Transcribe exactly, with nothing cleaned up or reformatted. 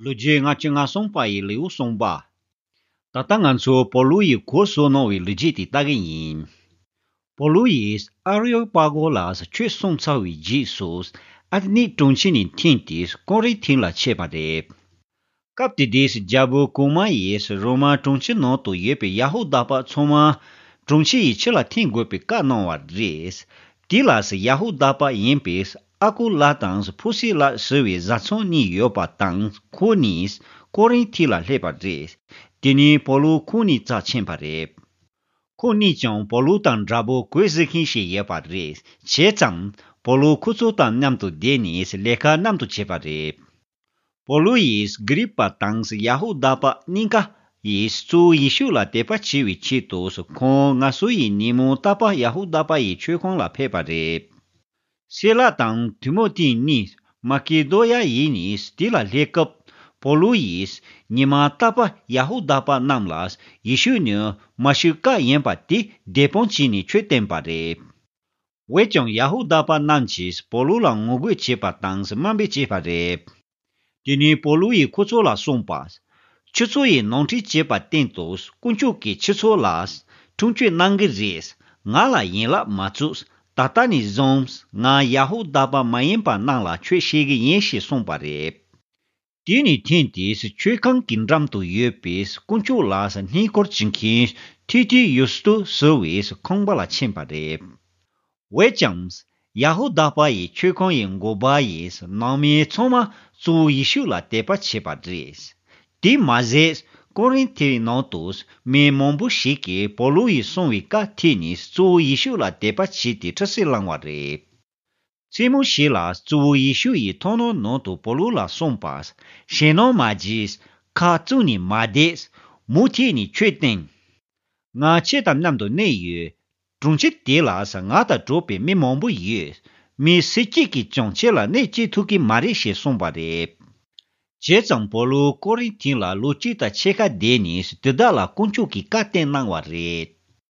ལོ་རྒྱུས་ལྔ་བཅུ་ང་གསུམ་པ་ཡི་ལེའུ་གསུམ་པ། ད་ལྟ་ང་ཚོ་པོ་ལུ་ཡིས་གོ་སོང་གནང་བའི་ལོ་རྒྱུས་དེ་ལྟ་གི་ཡིན། པོ་ལུ་ཡིས་ཨ་རེའོ་པ་གོ་ལ་ཆོས་གསུངས་ཚར་བའི་རྗེས་སུ། ཨ་ཐི་ནི་གྲོང་ཁྱེར་ནས་འཐེན་ཏེ་ཀོ་རི་ཐི་ལ་ཆས་པ་རེད། སྐབས་དེ་དུས་རྒྱལ་པོ་གོང་མ་ཡིས་རོ་མ་གྲོང་ཁྱེར་ནང་དུ་ཡོད་པའི་ཡ་ཧུ་དཱ་པ་ཚང་མ་གྲོང་ཁྱེར་ཡི་ཕྱི་ལ་འཐེན་དགོས་པའི་བཀའ་གནང་བ་རེད། དེ་ལ་ཡ་ཧུ་དཱ་པ་ཡིན་པའི་ཨ་ཀུ་ལ་དང་ཕུ་སི་ལ་ཟེར་བའི་བཟའ་ཚང་གཉིས་ཡོད་པ་དང་ཁོ་གཉིས་ཀོ་རིན་ཐི་ལ་སླེབས་པ་རེད། དེ་ནས་པོ་ལུ་ཁོ་གཉིས་རྩར་ཕྱིན་པ་རེད། ཁོ་གཉིས་ཀྱང་པོ་ལུ་དང་འདྲ་པོ་གོས་བཟི་མཁན་ཞིག་ཡོད་པ་རེད། བྱས་ཙང་པོ་ལུ་ཁོ་ཚོ་དང་མཉམ་དུ་བསྡད་ནས་ལས་ཀ་མཉམ་དུ་བྱས་པ་རེད། པོ་ལུ་ཡིས་གྷི་རི་པ་དང་ཡ་ཧུ་དཱ་པ་གཉིས་ཀ་ཡིས་གཙོ་བོ་ཡེ་ཤུ་ལ་དད་པ་བྱེད་པའི་ཆེད་དུ་ཁོང་ང་སོ་ཡི་ཉིན་མོ་རྟག་པར་ཡ་ཧུ་དཱ་པ་ཡི་མཆོད་ཁང་ལ་ཕེབས་པ་རེད། སི་ལ་དང་ཐི་མོ་ཐི་གཉིས་མ་ཀེ་དོ་ཡ་ཡི་ནས་དེ་ལ་སླེབས་སྐབས་པོ་ལུ་ཡིས་ཉི་མ་རྟག་པར་ཡ་ཧུ་དཱ་པ་རྣམས་ལ་ཡེ་ཤུ་ནི་མ་ཤི་ཀ་ཡིན་པ་དེ་བདེན་དཔང་བྱས་ནས་ཆོས་བསྟན་པ་རེད། འོན་ཀྱང་ཡ་ཧུ་དཱ་པ་རྣམས་ཀྱིས་པོ་ལུ་ལ་ངོ་རྒོལ་བྱས་པ་དང་དམའ་འབེབས་བྱས་པ་རེད། དེ་ནས་པོ་ལུ་ཡིས་ཁོ་ཚོ་ལ་གསུངས་པ། ཁྱོད་ཚོ་ཡིས་ནོར་འཁྲུལ་བྱས་པ་བསྟན་ཏོ། དཀོན་མཆོག་གིས་ཁྱོད་ཚོ་ལ་འཁྲུངས་སྐྱོབ་གནང་གི་རེད། ང་ལ་ཡན་ལག་མ་བཙུགས། ད་ལྟ་ནས་བཟུང་ང་ཡ་ཧུ་དཱ་པ་མ་ཡིན་པ་རྣམས་ལ་ཆོས་བཤད་གི་ཡིན་ཞེས་གསུངས་པ་རེད། དེ་ནས་འཐེན་ཏེ་མཆོད་ཁང་གི་འགྲམ་དུ་ཡོད་པའི་དཀོན་མཆོག་ལ་བསྙེན་བཀུར་བྱེད་མཁན་ཐི་ཐི་ཡུ་སྟུ་ཟེར་བའི་ཁང་པ་ལ་ཕྱིན་པ་རེད། འོན་ཀྱང་ཡ་ཧུ་དཱ་པ་ཡི་མཆོད་ཁང་ཡི་འགོ་པ་ཡིས་ནང་མི་ཚང་མ་གཙོ་བོ་ཡེ་ཤུ་ལ་དད་པ་བྱས་པ་རེད། དེ་མ་ཟད་ཀོ་རིན་ཐིའི་ནང་དུ་མི་མང་པོ་ཞིག་གིས་པོ་ལུ་ཡིས་གསུངས་པའི་བཀའ་ཐོས་ནས་གཙོ་བོ་ཡེ་ཤུ་ལ་དད་པ་བྱས་ཏེ་ཁྲི་སེ་བླངས་བ་རེད། མཚན་མོ་ཞིག་ལ་གཙོ་བོ་ཡེ་ཤུ་ཡིས་མཐོང་སྣང་ནང་དུ་པོ་ལུ་ལ་གསུངས་པ། ཞེད་སྣང་མ་བྱེད། ཁ་བཙུམས་ནས་མ་བསྡད། མུ་མཐུད་ནས་ཆོས་བསྟན། ང་ཁྱེད་དང་མཉམ་དུ་གནས་ཡོད། གྲོང་ཁྱེར་དེ་ལ་ང་དང་འགྲོགས་པའི་མི་མང་པོ་ཡོད། མི་སུ་གཅིག་གིས་ཀྱང་ཁྱེད་ལ་གནོད་བྱེད་ཐུབ་ཀྱི་མ་རེད་ཞེས་གསུངས་པ་རེད། བྱས་ཙང་པོ་ལུ་ཀོ་རིན་ཐིན་ལ་ལོ་གཅིག་དང་ཕྱེད་ཀ་བསྡད་ནས་དེ་དག་ལ་དཀོན་མཆོག་གིས་བཀའ་བསྟན་གནང་བ་རེད།